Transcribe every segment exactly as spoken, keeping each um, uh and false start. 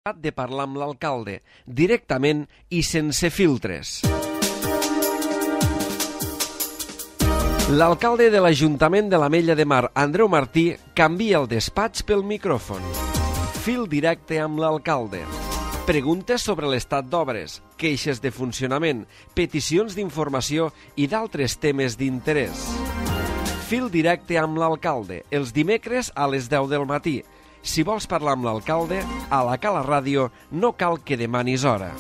de parlar amb l'alcalde, directament i sense filtres. L'alcalde de l'Ajuntament de l'Ametlla de Mar, Andreu Martí, canvia el despatx pel micròfon. Fil directe amb l'alcalde. Preguntes sobre l'estat d'obres, queixes de funcionament, peticions d'informació i d'altres temes d'interès. Fil directe amb l'alcalde, els dimecres a les deu del matí. Si vols parlar amb l'alcalde, a la Cala Ràdio no cal que demanis hora.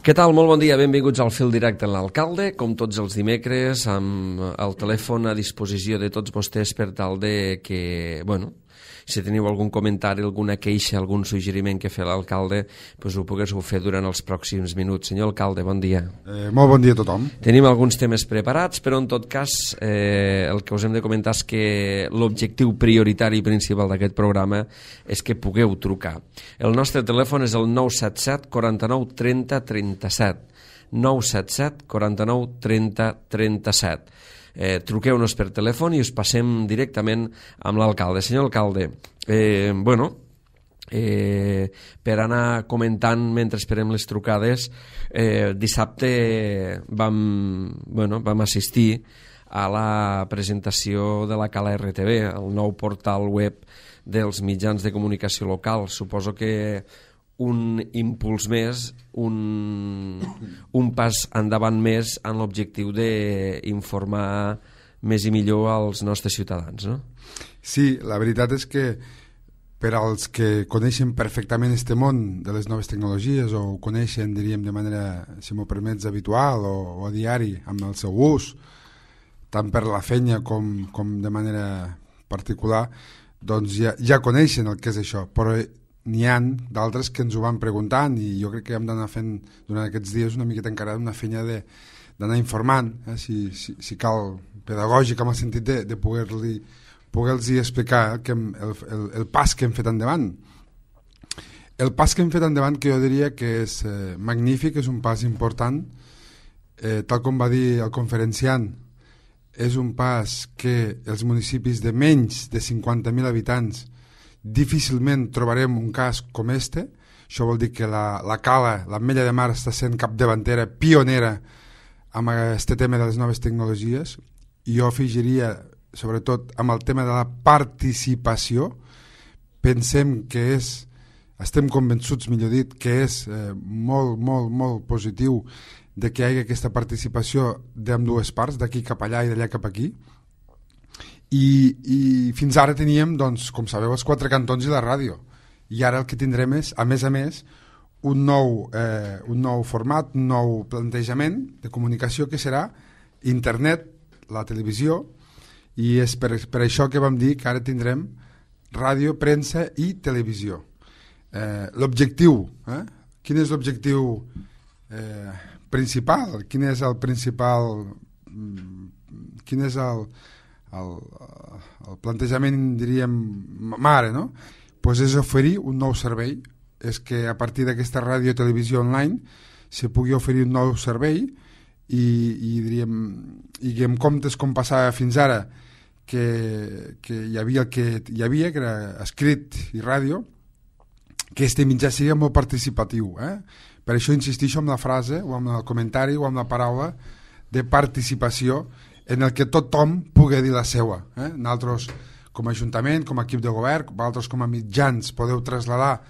Què tal? Molt bon dia, benvinguts al Fil Directe amb l'alcalde, com tots els dimecres, amb el telèfon a disposició de tots vostès per tal de que, bueno, si teniu algun comentari, alguna queixa, algun suggeriment que fer l'alcalde, doncs ho poguéssiu fer durant els pròxims minuts. Senyor alcalde, bon dia. Eh, molt bon dia a tothom. Tenim alguns temes preparats, però en tot cas eh, el que us hem de comentar és que l'objectiu prioritari i principal d'aquest programa és que pugueu trucar. El nostre telèfon és el nou set set, quaranta-nou, trenta, trenta-set. nou set set, quaranta-nou, trenta, trenta-set. Eh, truqueu-nos per telèfon i us passem directament amb l'alcalde. Senyor alcalde, eh, bueno, eh, per anar comentant mentre esperem les trucades, eh, dissabte vam, bueno, vam assistir a la presentació de la Cala R T V, el nou portal web dels mitjans de comunicació local. Suposo que un impuls més, un, un pas endavant més en l'objectiu d'informar més i millor als nostres ciutadans, no? Sí, la veritat és que per als que coneixen perfectament este món de les noves tecnologies o ho coneixen, diríem, de manera, si m'ho permets, habitual o, o a diari, amb el seu ús, tant per la feina com, com de manera particular, doncs ja, ja coneixen el que és això, però n'hi ha d'altres que ens ho van preguntant i jo crec que hem d'anar fent durant aquests dies una miqueta encara una feina d'anar informant, eh, si, si, si cal, pedagògic, en el sentit de, de poder-li poder-los explicar que hem, el, el, el pas que hem fet endavant. El pas que hem fet endavant, que jo diria que és eh, magnífic, és un pas important, eh, tal com va dir el conferenciant, és un pas que els municipis de menys de cinquanta mil habitants difícilment trobarem un cas com este. Això vol dir que la, la Cala, l'Ametlla de Mar, està sent capdavantera, pionera amb aquest tema de les noves tecnologies, i jo afegiria sobretot amb el tema de la participació. Pensem que és, estem convençuts, millor dit, que és eh, molt, molt, molt positiu de que hi hagi aquesta participació d'ambdues parts, d'aquí cap allà i d'allà cap aquí. I, i fins ara teníem, doncs, com sabeu, els quatre cantons i la ràdio, i ara el que tindrem és, a més a més, un nou, eh, un nou format, un nou plantejament de comunicació que serà internet, la televisió, i és per, per això que vam dir que ara tindrem ràdio, premsa i televisió. Eh, l'objectiu, eh? Quin és l'objectiu eh, principal? Quin és el principal... Quin és el... El, el plantejament, diríem, mare, no? Pues és oferir un nou servei, és que a partir d'aquesta ràdio i televisió online se pugui oferir un nou servei i, i diríem, i en comptes com passava fins ara, que, que hi havia el que hi havia, que era escrit i ràdio, que este mitjà sigui molt participatiu. Eh? Per això insistixo en la frase, o en el comentari, o en la paraula de participació, en el que tothom pugui dir la seva. Eh? Nosaltres, com a Ajuntament, com a equip de govern, vosaltres com a mitjans podeu traslladar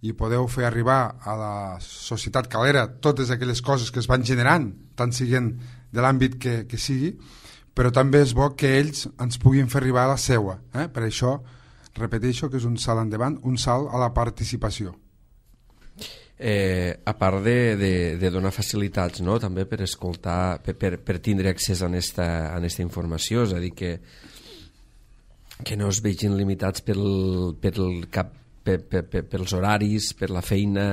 i podeu fer arribar a la societat calera totes aquelles coses que es van generant, tant siguin de l'àmbit que, que sigui, però també és bo que ells ens puguin fer arribar a la seua. Eh? Per això, repeteixo que és un salt endavant, un salt a la participació. Eh, a part de, de, de donar facilitats, no? També per escoltar, per, per, per tindre accés a aquesta, a aquesta informació, és a dir, que, que no es vegin limitats pel, pel cap, per, per, per, pels horaris, per la feina,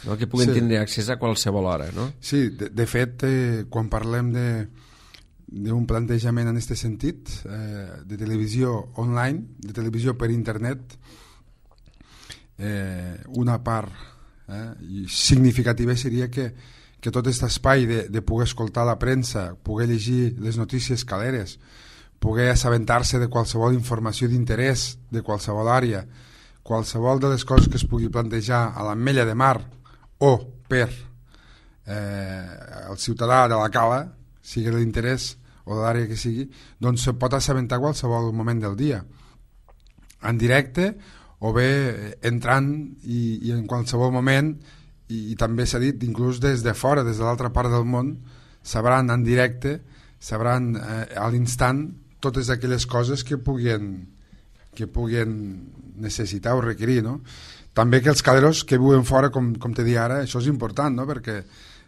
no? Que puguen sí. tindre accés a qualsevol hora, no? Sí, de, de fet, eh, quan parlem de d'un plantejament en aquest sentit, eh, de televisió online, de televisió per internet, eh, una part eh, significativa seria que, que tot aquest espai de, de poder escoltar la premsa, poder llegir les notícies caleres, poder assabentar-se de qualsevol informació d'interès de qualsevol àrea, qualsevol de les coses que es pugui plantejar a l'Ametlla de Mar o per eh, el ciutadà de la Cala, sigui l'interès o de l'àrea que sigui, doncs se pot assabentar a qualsevol moment del dia, en directe o bé entrant i, i en qualsevol moment, i, i també s'ha dit, inclús des de fora, des de l'altra part del món, sabran en directe, sabran eh, a l'instant totes aquelles coses que puguin, que puguin necessitar o requerir, no? També que els caleros que viuen fora, com, com te dic ara, això és important, no? Perquè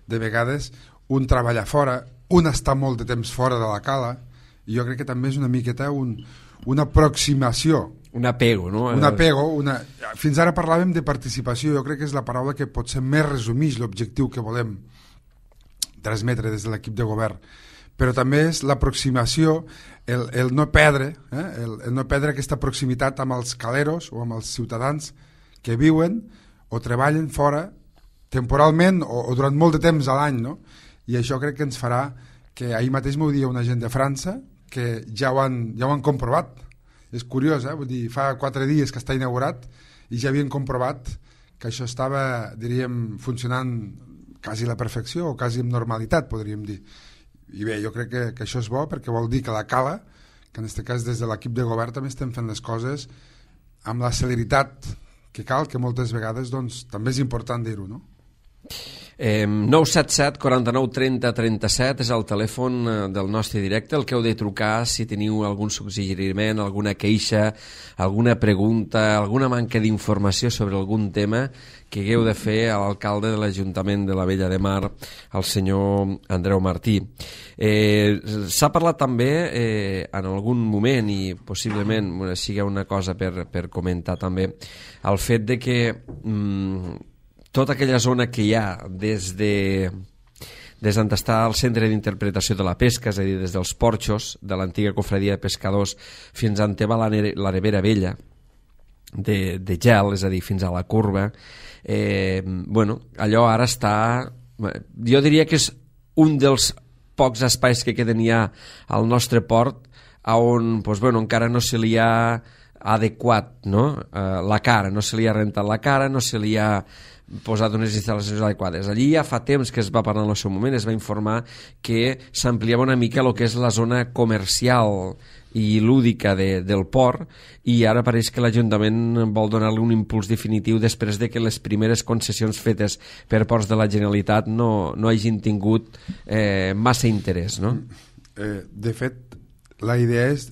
de vegades un treballa fora, un està molt de temps fora de la Cala, i jo crec que també és una miqueta un, una aproximació, un apego, no? Un apego, una... Fins ara parlàvem de participació, jo crec que és la paraula que potser més resumeix l'objectiu que volem transmetre des de l'equip de govern, però també és l'aproximació, el, el no perdre, eh? el, el no perdre aquesta proximitat amb els caleros o amb els ciutadans que viuen o treballen fora temporalment o, o durant molt de temps a l'any, no? I això crec que ens farà que ahir mateix m'ho dia una gent de França que ja ho han, ja ho han comprovat. És curiós, eh? Vull dir, fa quatre dies que està inaugurat i ja havien comprovat que això estava, diríem, funcionant quasi a la perfecció o quasi amb normalitat, podríem dir. I bé, jo crec que, que això és bo perquè vol dir que la Cala, que en aquest cas des de l'equip de govern també estem fent les coses amb la celeritat que cal, que moltes vegades doncs, també és important dir-ho, no? Eh, nou set set, quaranta-nou, trenta, trenta-set és el telèfon del nostre directe, el que heu de trucar si teniu algun suggeriment, alguna queixa, alguna pregunta, alguna manca d'informació sobre algun tema que hagueu de fer a l'alcalde de l'Ajuntament de la Vella de Mar, el senyor Andreu Martí. Eh, s'ha parlat també eh, en algun moment, i possiblement bueno, sigui una cosa per, per comentar també, el fet de que mm, tota aquella zona que hi ha des de des d'on està el centre d'interpretació de la pesca, és a dir, des dels porxos de l'antiga cofradia de pescadors fins a on té la, la nevera vella de, de gel, és a dir, fins a la curva, eh, bueno, allò ara està, jo diria que és un dels pocs espais que queden ja al nostre port on pues, bueno, encara no se li ha adequat, no? eh, la cara, no se li ha rentat la cara, no se li ha posat unes instal·lacions adequades. Allí ja fa temps que es va parlar en el seu moment, es va informar que s'ampliava una mica el que és la zona comercial i lúdica de, del port, i ara pareix que l'Ajuntament vol donar-li un impuls definitiu després de que les primeres concessions fetes per ports de la Generalitat no, no hagin tingut eh, massa interès, no? Eh, de fet, la idea és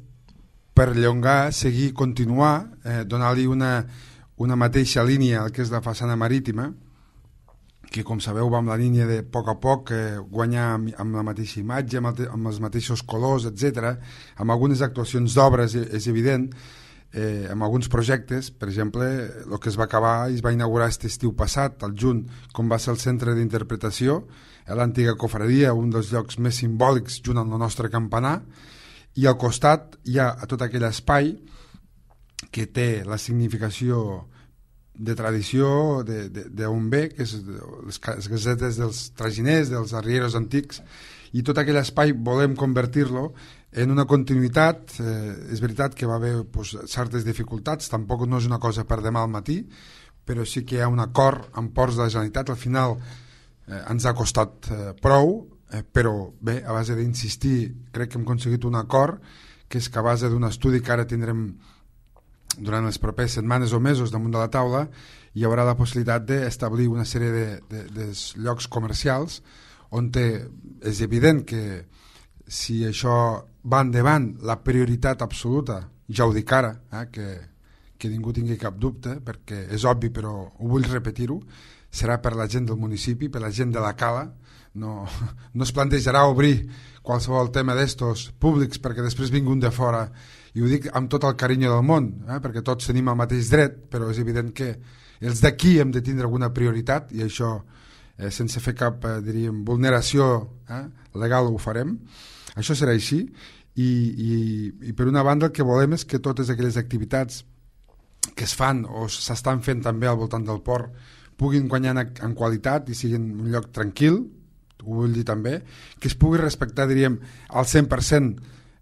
perllongar, seguir, continuar, eh, donar-li una una mateixa línia al que és la façana marítima, que com sabeu va amb la línia de a poc a poc eh, guanyar amb, amb la mateixa imatge, amb, el, amb els mateixos colors, etcètera. Amb algunes actuacions d'obres, és evident, eh, amb alguns projectes, per exemple, el que es va acabar i es va inaugurar aquest estiu passat, al juny, com va ser el centre d'interpretació, a l'antiga cofradia, un dels llocs més simbòlics junt amb el nostre campanar, i al costat hi ha tot aquell espai que té la significació de tradició d'on ve, que és les casetes dels traginers, dels arrieros antics, i tot aquell espai volem convertir-lo en una continuïtat. Eh, és veritat que va haver pues, certes dificultats, tampoc no és una cosa per demà al matí, però sí que hi ha un acord amb ports de la Generalitat. Al final eh, ens ha costat eh, prou, eh, però bé, a base d'insistir crec que hem aconseguit un acord, que és que a base d'un estudi que ara tindrem durant les properes setmanes o mesos damunt de la taula, hi haurà la possibilitat d'establir una sèrie de, de, de llocs comercials on té, és evident que si això va endavant, la prioritat absoluta, ja ho dic ara, eh, que, que ningú tingui cap dubte, perquè és obvi però ho vull repetir-ho, serà per la gent del municipi, per la gent de la Cala. No, no es plantejarà obrir qualsevol tema d'estos públics perquè després vingui un de fora, i ho dic amb tot el carinyo del món, eh, perquè tots tenim el mateix dret, però és evident que els d'aquí hem de tindre alguna prioritat, i això eh, sense fer cap eh, diríem, vulneració eh, legal ho farem. Això serà així, i, i, i per una banda el que volem és que totes aquelles activitats que es fan o s'estan fent també al voltant del port puguin guanyar en, en qualitat i siguin un lloc tranquil, ho vull dir també, que es pugui respectar, diríem, al cent per cent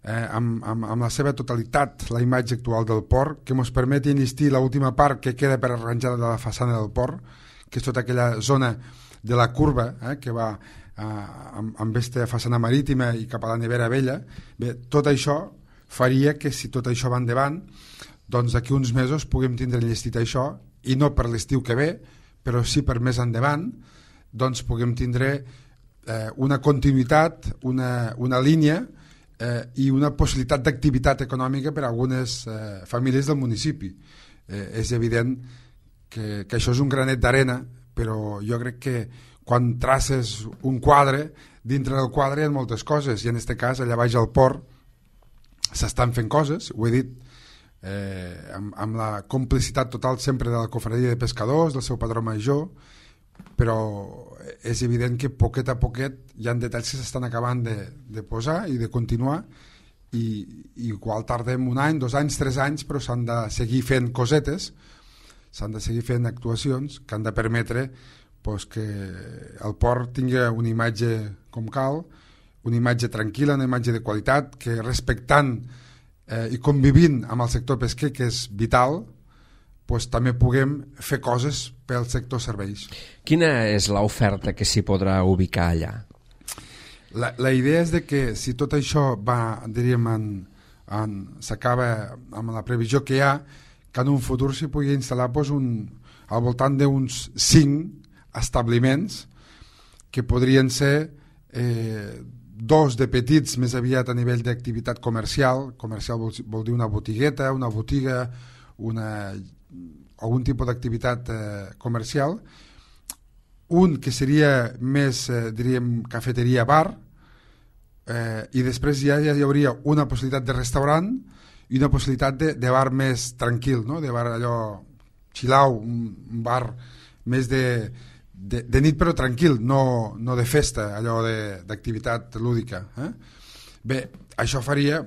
eh, amb, amb, amb la seva totalitat la imatge actual del port, que ens permeti enllestir l'última part que queda per arranjar de la façana del port, que és tota aquella zona de la curva eh, que va eh, amb, amb aquesta façana marítima i cap a la Nevera Vella. Bé, tot això faria que si tot això va endavant, doncs d'aquí uns mesos puguem tindre enllestit això, i no per l'estiu que ve, però sí per més endavant, doncs puguem tindre eh, una continuïtat, una, una línia eh, i una possibilitat d'activitat econòmica per a algunes eh, famílies del municipi. Eh, és evident que, que això és un granet d'arena, però jo crec que quan traces un quadre, dintre del quadre hi ha moltes coses, i en aquest cas allà baix al port s'estan fent coses, ho he dit, eh, amb, amb la complicitat total sempre de la cofradia de pescadors, del seu padró major, però és evident que poquet a poquet hi ha detalls que s'estan acabant de, de posar i de continuar, i, i igual tardem un any, dos anys, tres anys, però s'han de seguir fent cosetes, s'han de seguir fent actuacions que han de permetre pues, que el port tingui una imatge com cal, una imatge tranquil·la, una imatge de qualitat, que respectant eh, i convivint amb el sector pesquer, que és vital, pues, també puguem fer coses pel sector serveis. Quina és l'oferta que s'hi podrà ubicar allà? La, la idea és de que si tot això va, diríem, en, en, s'acaba amb la previsió que hi ha, que en un futur s'hi pugui instal·lar pues, un, al voltant d'uns cinc establiments que podrien ser eh, dos de petits, més aviat a nivell d'activitat comercial. Comercial vol, vol dir una botigueta, una botiga, una, algun tipus d'activitat eh, comercial. Un que seria més, eh, diríem, cafeteria-bar, eh, i després ja, ja hi hauria una possibilitat de restaurant i una possibilitat de, de bar més tranquil, no? De bar allò xilau, un bar més de, de, de nit però tranquil, no, no de festa, allò d'activitat lúdica. Eh? Bé, això faria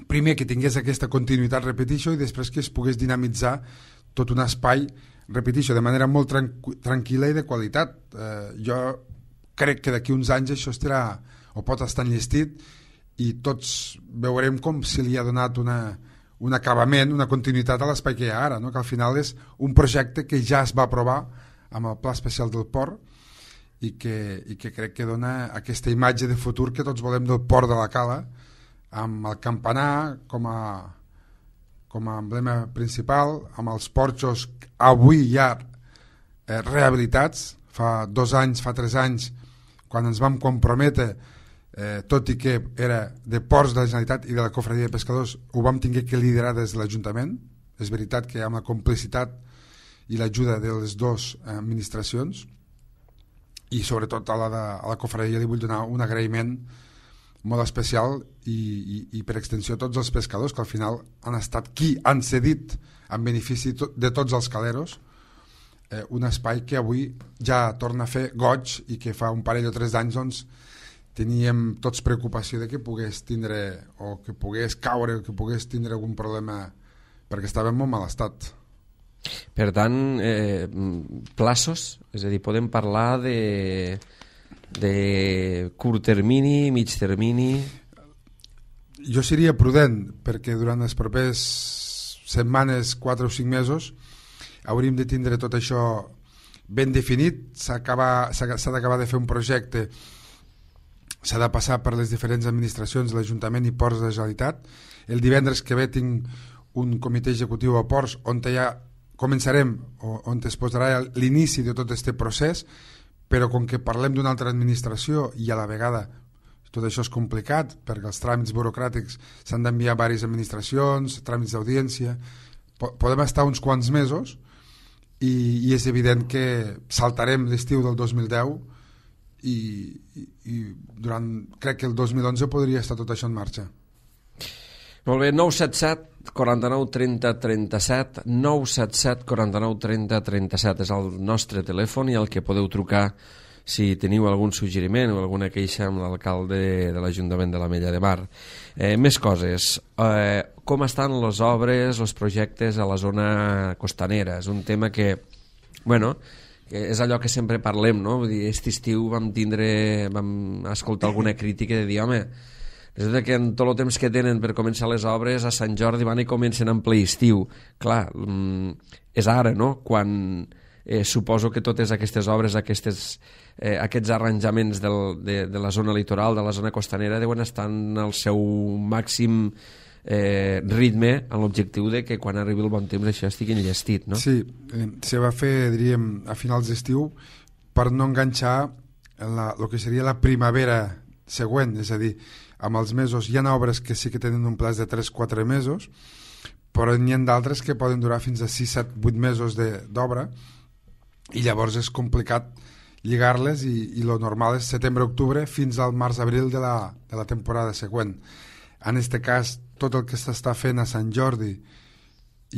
primer que tingués aquesta continuïtat, repetixo, i després que es pogués dinamitzar tot un espai, repetixo, de manera molt tranqu tranquil·la i de qualitat. Eh, jo crec que d'aquí uns anys això estarà o pot estar enllestit i tots veurem com se li ha donat una, un acabament, una continuïtat a l'espai que hi ha ara, no? Que al final és un projecte que ja es va aprovar amb el Pla Especial del Port i que, i que crec que dona aquesta imatge de futur que tots volem del Port de la Cala, amb el campanar com a, com a emblema principal, amb els porxos avui ja eh, rehabilitats. Fa dos anys, fa tres anys, quan ens vam comprometre, eh, tot i que era de ports de la Generalitat i de la Cofradia de Pescadors, ho vam tinguer que liderar des de l'Ajuntament. És veritat que amb la complicitat i l'ajuda de les dues administracions, i sobretot a la, de, a la Cofradia li vull donar un agraïment molt especial i, i, i per extensió a tots els pescadors que al final han estat qui han cedit en benefici to, de tots els caleros eh, un espai que avui ja torna a fer goig i que fa un parell o tres d'anys doncs, teníem tots preocupació de que pogués tindre o que pogués caure o que pogués tindre algun problema perquè estava en molt mal estat. Per tant, eh, plaços, és a dir, podem parlar de de curt termini, mig termini? Jo seria prudent, perquè durant les properes setmanes, quatre o cinc mesos, hauríem de tindre tot això ben definit. S'ha d'acabar de fer un projecte, s'ha de passar per les diferents administracions, l'Ajuntament i Ports de la Generalitat. El divendres que ve tinc un comitè executiu a Ports on ja començarem, on es posarà l'inici de tot aquest procés, però com que parlem d'una altra administració i a la vegada tot això és complicat perquè els tràmits burocràtics s'han d'enviar a diverses administracions, tràmits d'audiència, podem estar uns quants mesos i, i és evident que saltarem l'estiu del dos mil deu i, i, i durant, crec que el dos mil onze podria estar tot això en marxa. Molt bé, nou set set, quaranta-nou, trenta, trenta-set, nou set set, quaranta-nou, trenta, trenta-set és el nostre telèfon i el que podeu trucar si teniu algun suggeriment o alguna queixa amb l'alcalde de l'Ajuntament de l'Ametlla de Mar. Eh, més coses. Eh, com estan les obres, els projectes a la zona costanera? És un tema que, bueno, que és allò que sempre parlem, no? Vull dir, aquest estiu vam tindre, vam escoltar alguna crítica de dir, home, resulta que en tot el temps que tenen per començar les obres a Sant Jordi van i comencen en ple estiu. Clar, és ara, no?, quan eh, suposo que totes aquestes obres, aquestes, eh, aquests arranjaments del, de, de la zona litoral, de la zona costanera, deuen estar en el seu màxim eh, ritme, en l'objectiu de que quan arribi el bon temps això estigui enllestit, no? Sí, eh, se va fer, diríem, a finals d'estiu per no enganxar el que seria la primavera següent, és a dir, amb els mesos hi ha obres que sí que tenen un plaç de tres a quatre mesos, però n'hi ha d'altres que poden durar fins a sis, set, vuit mesos d'obra i llavors és complicat lligar-les i, i lo normal és setembre-octubre fins al març-abril de, la, de la temporada següent. En aquest cas, tot el que s'està fent a Sant Jordi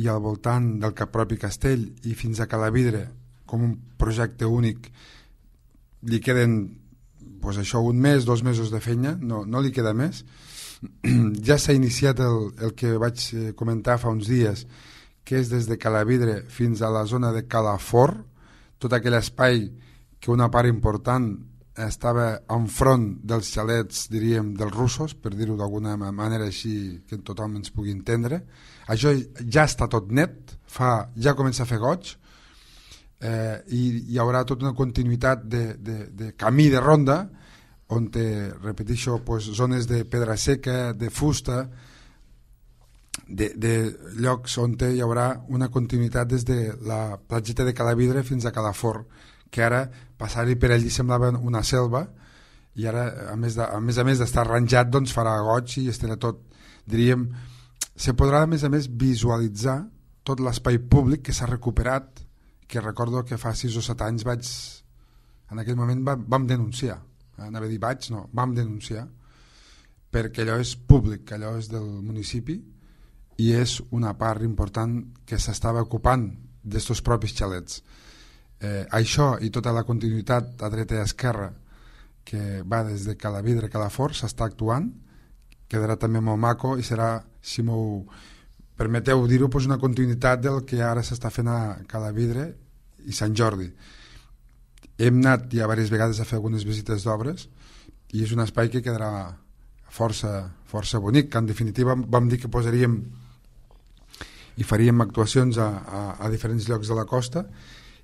i al voltant del propi castell i fins a Calavidre com un projecte únic li queden pues això, un mes, dos mesos de feina, no, no li queda més. Ja s'ha iniciat el, el que vaig comentar fa uns dies, que és des de Calavidre fins a la zona de Calafort, tot aquell espai que una part important estava enfront dels xalets, diríem, dels russos, per dir-ho d'alguna manera així que tothom ens pugui entendre. Això ja està tot net, fa, ja comença a fer goig, eh, i hi haurà tota una continuïtat de, de, de camí de ronda on te, repeteixo, pues, zones de pedra seca, de fusta, de, de llocs on hi haurà una continuïtat des de la platgeta de Calavidre fins a Calafort, que ara passar-hi per allí semblava una selva i ara, a més de, a més, a més d'estar arranjat, doncs farà goig i estarà tot, diríem, se podrà a més a més visualitzar tot l'espai públic que s'ha recuperat, que recordo que fa sis o set anys vaig, en aquell moment vam, vam denunciar, anava a dir vaig, no, vam denunciar, perquè allò és públic, allò és del municipi i és una part important que s'estava ocupant d'estos propis xalets. Eh, això i tota la continuïtat a dreta i a esquerra que va des de Calavidre a Calafort s'està actuant, quedarà també molt maco i serà, si m'ho permeteu dir-ho, doncs una continuïtat del que ara s'està fent a Calavidre i Sant Jordi. Hem anat ja diverses vegades a fer algunes visites d'obres i és un espai que quedarà força, força bonic, que en definitiva vam dir que posaríem i faríem actuacions a, a, a diferents llocs de la costa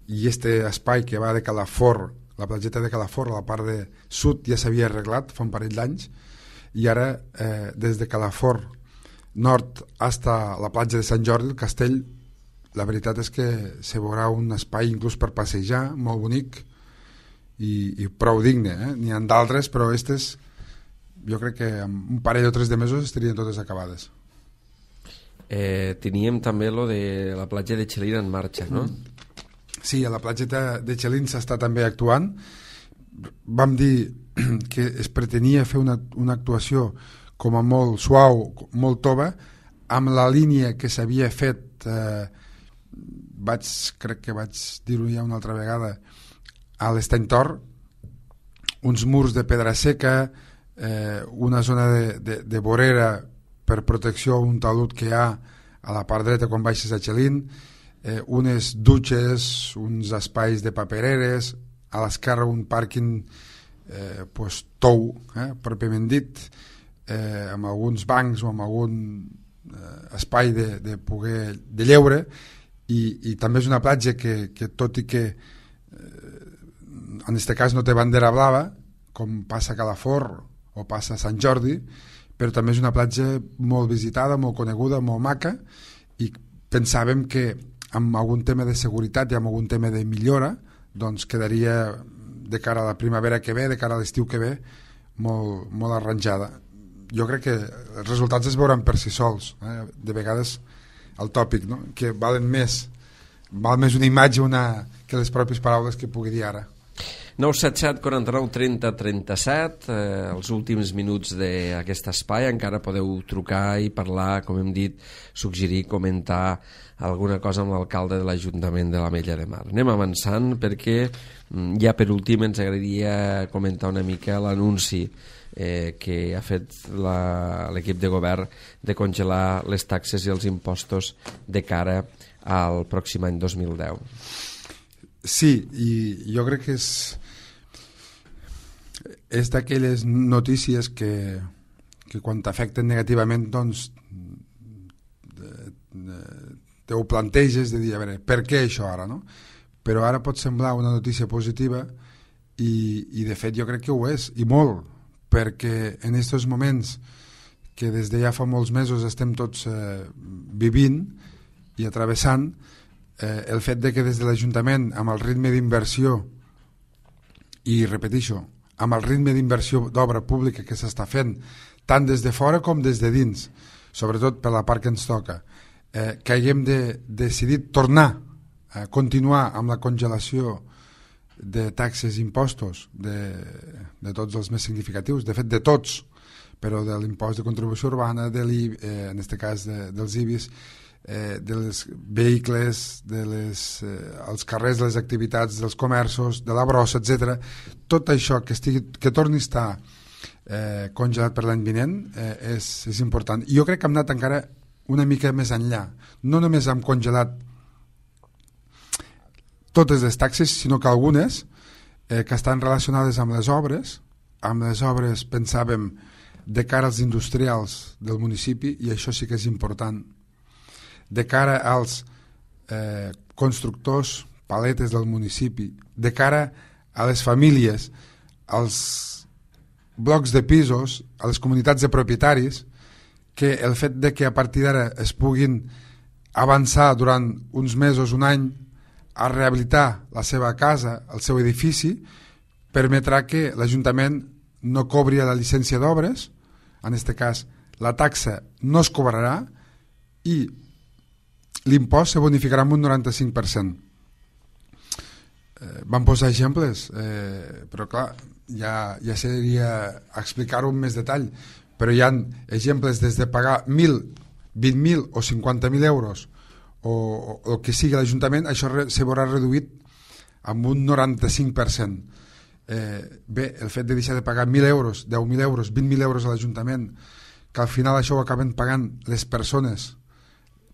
i este espai que va de Calafort, la platgeta de Calafort, a la part de sud ja s'havia arreglat fa un parell d'anys i ara eh, des de Calafort nord fins a la platja de Sant Jordi, el castell, la veritat és que se veurà un espai inclús per passejar, molt bonic i, i prou digne, eh? N'hi ha d'altres, però aquestes jo crec que en un parell o tres de mesos estarien totes acabades. Eh, teníem també lo de la platja de Xelina en marxa, no? Sí, a la platgeta de Xelin s'està també actuant. Vam dir que es pretenia fer una, una actuació com a molt suau, molt tova, amb la línia que s'havia fet, eh, vaig, crec que vaig dir-ho ja una altra vegada, a l'Estany Tor, uns murs de pedra seca, eh, una zona de, de, de vorera per protecció, un talud que hi ha a la part dreta quan baixes a Xelin, eh, unes dutxes, uns espais de papereres, a l'esquerra un pàrquing eh, pues, tou, eh, pròpiament dit, eh, amb alguns bancs o amb algun eh, espai de, de poder de lleure, i, i també és una platja que, que tot i que eh, en aquest cas no té bandera blava, com passa a Calafort o passa a Sant Jordi, però també és una platja molt visitada, molt coneguda, molt maca, i pensàvem que amb algun tema de seguretat i amb algun tema de millora, doncs quedaria de cara a la primavera que ve, de cara a l'estiu que ve, molt, molt arranjada. Jo crec que els resultats es veuran per si sols, eh? De vegades el tòpic, no? Que valen més, val més una imatge una, que les pròpies paraules que pugui dir ara. nou set set quaranta-nou trenta trenta-set, eh, els últims minuts d'aquest espai, encara podeu trucar i parlar, com hem dit, suggerir, comentar alguna cosa amb l'alcalde de l'Ajuntament de l'Ametlla de Mar. Anem avançant perquè ja per últim ens agradaria comentar una mica l'anunci eh, que ha fet l'equip de govern de congelar les taxes i els impostos de cara al pròxim any dos mil deu. Sí, i jo crec que és és d'aquelles notícies que, que quan t'afecten negativament doncs te ho planteges de dir, a veure, per què això ara, no? Però ara pot semblar una notícia positiva i, i de fet jo crec que ho és, i molt, perquè en aquests moments que des de ja fa molts mesos estem tots eh, vivint i atravessant, eh, el fet de que des de l'Ajuntament, amb el ritme d'inversió, i repeteixo, amb el ritme d'inversió d'obra pública que s'està fent, tant des de fora com des de dins, sobretot per la part que ens toca, eh, que haguem de decidir tornar a continuar amb la congelació de taxes i impostos de, de tots els més significatius, de fet de tots, però de l'impost de contribució urbana, de l'I B I, eh, en aquest cas de, dels I B I S, eh, dels vehicles, de les, eh, els carrers, de les activitats, dels comerços, de la brossa, etcètera. Tot això que, estigui, que torni a estar eh, congelat per l'any vinent eh, és, és important. I jo crec que hem anat encara una mica més enllà. No només hem congelat totes les taxes, sinó que algunes eh, que estan relacionades amb les obres, amb les obres pensàvem de cara als industrials del municipi, i això sí que és important, de cara als eh, constructors, paletes del municipi, de cara a les famílies, als blocs de pisos, a les comunitats de propietaris, que el fet de que a partir d'ara es puguin avançar durant uns mesos, un any, a rehabilitar la seva casa, el seu edifici, permetrà que l'Ajuntament no cobri la llicència d'obres, en aquest cas la taxa no es cobrarà i l'impost se bonificarà amb un noranta-cinc per cent. Eh, vam posar exemples, eh, però clar, ja, ja seria explicar-ho amb més detall, però hi ha exemples des de pagar mil, vint mil o cinquanta mil euros o, o el que sigui l'Ajuntament, això re, se veurà reduït amb un noranta-cinc per cent. Eh, bé, el fet de deixar de pagar mil euros, deu mil euros, vint mil euros a l'Ajuntament, que al final això ho acaben pagant les persones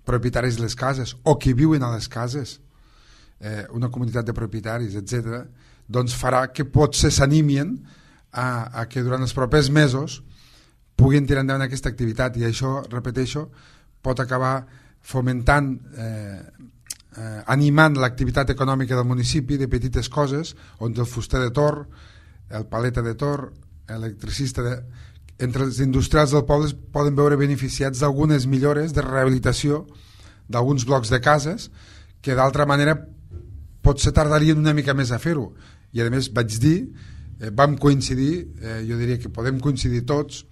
propietaris de les cases o qui viuen a les cases, eh, una comunitat de propietaris, etcètera, doncs farà que potser s'animin a, a que durant els propers mesos puguin tirar endavant aquesta activitat, i això, repeteixo, pot acabar fomentant, eh, eh, animant l'activitat econòmica del municipi de petites coses, on el fuster de Tor, el paleta de Tor, l'electricista de... entre els industrials del poble poden veure beneficiats d'algunes millores de rehabilitació d'alguns blocs de cases que d'altra manera potser tardarien una mica més a fer-ho. I a més vaig dir, eh, vam coincidir, eh, jo diria que podem coincidir tots,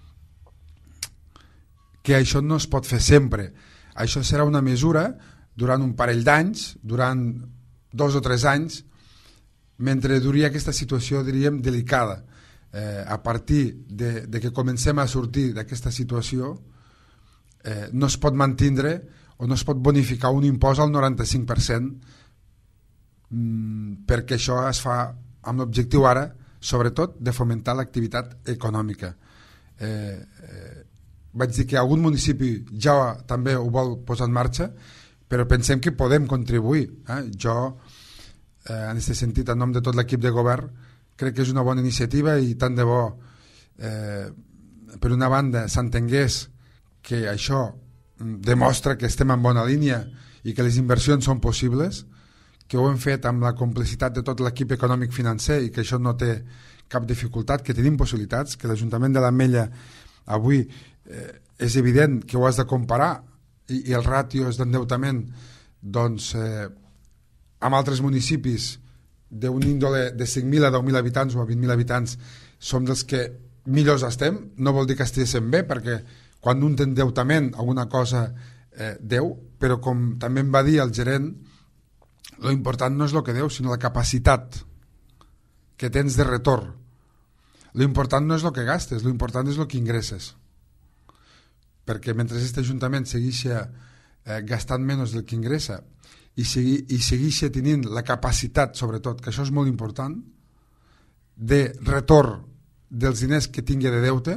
que això no es pot fer sempre. Això serà una mesura durant un parell d'anys, durant dos o tres anys, mentre duria aquesta situació, diríem, delicada. Eh, a partir de, de que comencem a sortir d'aquesta situació, eh, no es pot mantindre o no es pot bonificar un impost al noranta-cinc per cent, mmm, perquè això es fa amb l'objectiu ara, sobretot, de fomentar l'activitat econòmica. Eh, eh, vaig dir que algun municipi ja també ho vol posar en marxa, però pensem que podem contribuir. Eh? Jo, eh, en aquest sentit, en nom de tot l'equip de govern, crec que és una bona iniciativa i tant de bo eh, per una banda s'entengués que això demostra que estem en bona línia i que les inversions són possibles, que ho hem fet amb la complicitat de tot l'equip econòmic financer i que això no té cap dificultat, que tenim possibilitats, que l'Ajuntament de l'Ametlla avui eh, és evident que ho has de comparar i, i els ràtios d'endeutament doncs, eh, amb altres municipis d'un índole de cinc mil a deu mil habitants o a vint mil habitants som dels que millors estem. No vol dir que estiguéssim bé, perquè quan un té endeutament alguna cosa eh, deu, però com també em va dir el gerent, lo important no és el que deu, sinó la capacitat que tens de retorn. Lo important no és el que gastes, lo important és el que ingresses. Perquè mentre aquest Ajuntament segueixi eh, gastant menys del que ingressa i, segui, i segueixi tenint la capacitat, sobretot, que això és molt important, de retorn dels diners que tingui de deute,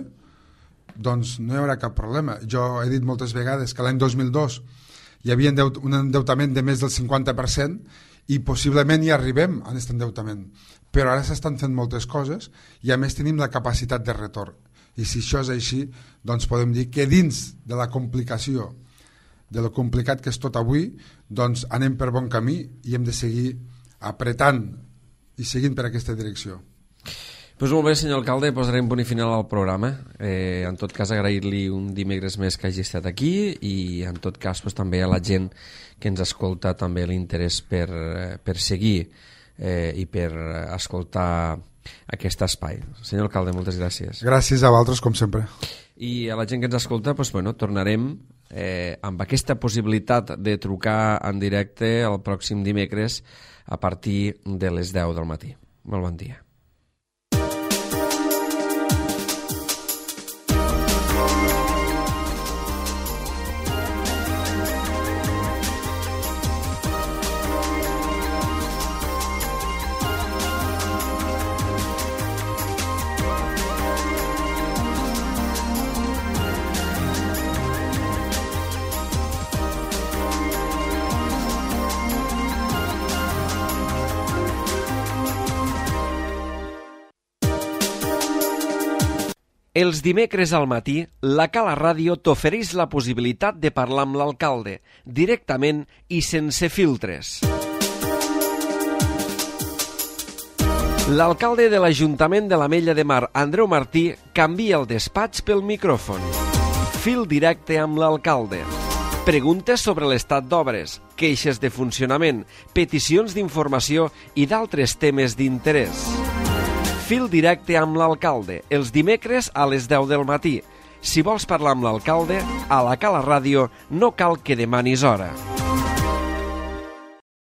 doncs no hi haurà cap problema. Jo he dit moltes vegades que l'any dos mil dos hi havia un endeutament de més del cinquanta per cent i possiblement hi arribem a aquest endeutament, però ara s'estan fent moltes coses i a més tenim la capacitat de retorn. I si això és així, doncs podem dir que dins de la complicació, de lo complicat que és tot avui, doncs anem per bon camí i hem de seguir apretant i seguint per aquesta direcció. Pues molt bé, senyor alcalde, posarem punt i final al programa. Eh, en tot cas, agrair-li un dimecres més que hagi estat aquí i en tot cas pues, també a la gent que ens escolta també l'interès per, per seguir eh, i per escoltar aquest espai. Senyor alcalde, moltes gràcies. Gràcies a vosaltres, com sempre. I a la gent que ens escolta, pues, bueno, tornarem eh, amb aquesta possibilitat de trucar en directe el pròxim dimecres a partir de les deu del matí. Molt bon dia. Els dimecres al matí, la Cala Ràdio t'ofereix la possibilitat de parlar amb l'alcalde, directament i sense filtres. L'alcalde de l'Ajuntament de l'Ametlla de Mar, Andreu Martí, canvia el despatx pel micròfon. Fil directe amb l'alcalde. Preguntes sobre l'estat d'obres, queixes de funcionament, peticions d'informació i d'altres temes d'interès. Fil directe amb l'alcalde, els dimecres a les deu del matí. Si vols parlar amb l'alcalde, a la Cala Ràdio no cal que demanis hora.